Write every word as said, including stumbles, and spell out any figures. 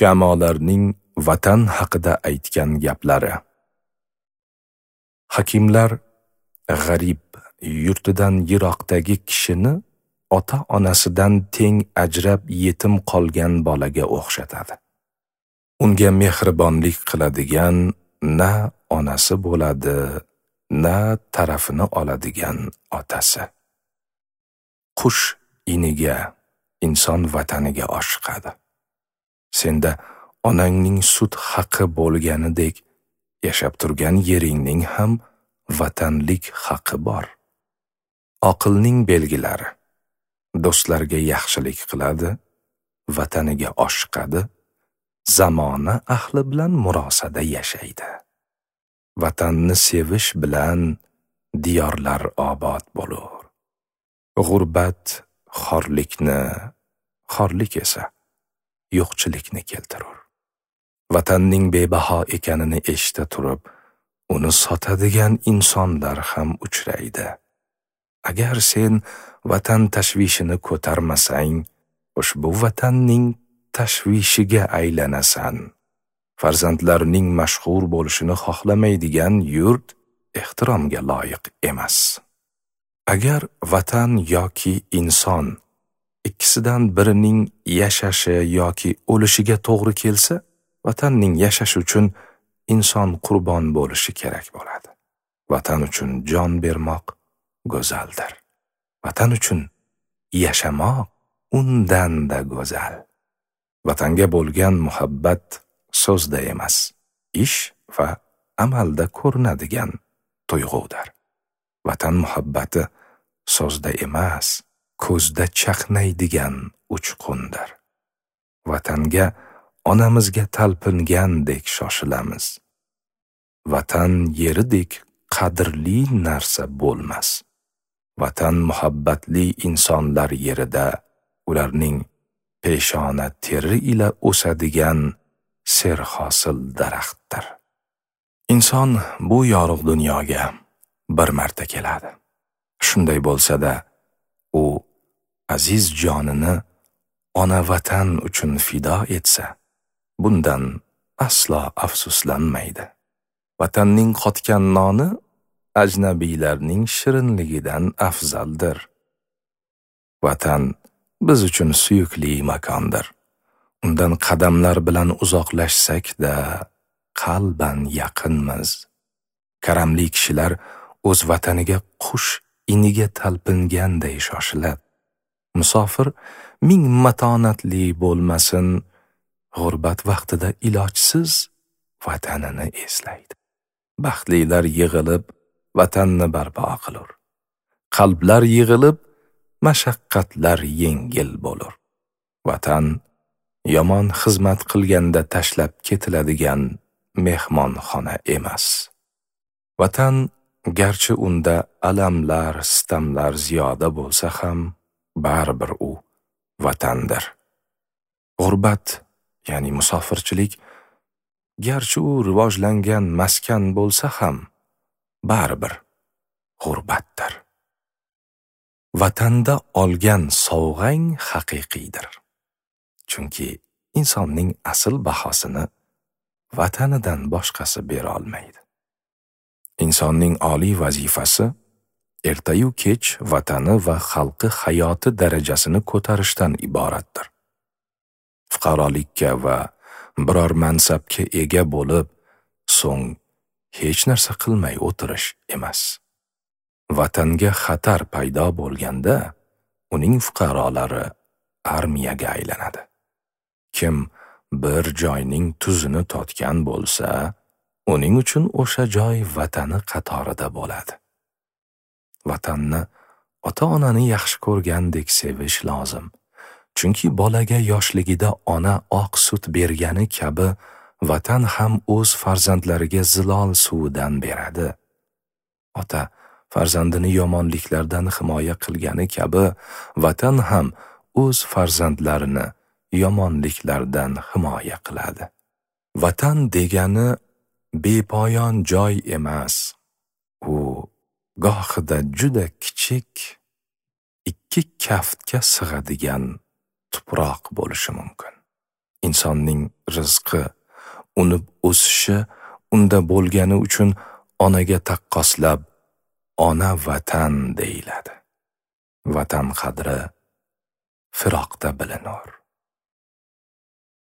Hukamolarning vatan haqida aytgan gaplari. Hakimlar g'arib, yurtidan yiroqdagi kishini ota-onasidan teng ajrab yetim qolgan bolaga o'xshatadi. Unga mehribonlik qiladigan na onasi bo'ladi, na tarafini oladigan otasi. Qush iniga, inson vataniga oshiqadi. Senda onangning sut haqi bo'lganidek, yashab turgan yeringning ham vatanlik haqi bor. Oqilning belgilari: do'stlarga yaxshilik qiladi, vataniga oshiqadi, zamona ahli bilan murosada yashaydi. Vatanni sevish bilan diyorlar obod bo'lur. G'urbat xorlikni, xorlik esa yo'qchilikni keltirur. Vatanning bebaho ekanini eshita turib, uni sotadigan insonlar ham uchraydi. Agar sen vatan tashvishini ko'tarmasang, ushbu vatanning tashvishiga aylanasan. Farzandlarning mashhur bo'lishini xohlamaydigan yurt ehtiromga loyiq emas. Agar vatan yoki inson ikkisidan birining yashashi yoki o'lishiga to'g'ri kelsa, vatanning yashashi uchun inson qurbon bo'lishi kerak bo'ladi. Vatan uchun jon bermoq go'zaldir. Vatan uchun yashamoq undan-da go'zal. Vatanga bo'lgan muhabbat so'zda emas, ish va amalda ko'rinadigan tuyg'udir. Vatan muhabbati so'zda emas, ko'zda chaqnaydigan uchqundir. Vatanga onamizga talpingandek shoshilamiz. Vatan yeridek qadrli narsa bo'lmas. Vatan muhabbatli insonlar yerida ularning peshona teri ila o'sadigan serhosil daraxtdir. Inson bu yorug' dunyoga bir marta keladi. Shunday bo'lsa-da, u aziz jonini ona vatan uchun fido etsa, bundan aslo afsuslanmaydi. Vatanning qotgan noni ajnabiylarning shirinligidan afzaldir. Vatan biz uchun suyukli makondir. Undan qadamlar bilan uzoqlashsak-da, qalban yaqinmiz. Karamli kishilar o'z vataniga qush iniga talpinganday shoshiladi. Musofir ming matonatli bo'lmasin, g'urbat vaqtida ilojsiz vatanini eslaydi. Baxtlilar yig'ilib vatanni barpo qilur. Qalblar yig'ilib mashaqqatlar yengil bo'lur. Vatan yomon xizmat qilganda tashlab ketiladigan mehmonxona emas. Vatan garchi unda alamlar, sitamlar ziyoda bo'lsa ham, baribir u vatandir. G'urbat, ya'ni musofirchilik, garchi u rivojlangan maskan bo'lsa ham, baribir g'urbatdir. Vatanda olgan sovg'ang haqiqiydir. Chunki insonning asl bahosini vatanidan boshqasi bera olmaydi. Insonning oliy vazifasi ertayu kech vatani va xalqi hayoti darajasini ko'tarishdan iboratdir. Fuqarolikka va biror mansabga ega bo'lib, so'ng hech narsa qilmay o'tirish emas. Vatanga xatar paydo bo'lganda, uning fuqarolari armiyaga aylanadi. Kim bir joyning tuzini totgan bo'lsa, uning uchun o'sha joy vatani qatorida bo'ladi. Vatanni ota-onani yaxshi ko'rgandek sevish lozim. Chunki bolaga yoshligida ona oq sut bergani kabi, vatan ham o'z farzandlariga zilol suvidan beradi. Ota farzandini yomonliklardan himoya qilgani kabi, vatan ham o'z farzandlarini yomonliklardan himoya qiladi. Vatan degani bepoyon joy emas. U gohida juda kichik, ikki kaftga sig'adigan tuproq bo'lishi mumkin. Insonning rizqi, unib o'sishi unda bo'lgani uchun onaga taqqoslab ona vatan deyiladi. Vatan qadri firoqda bilinur.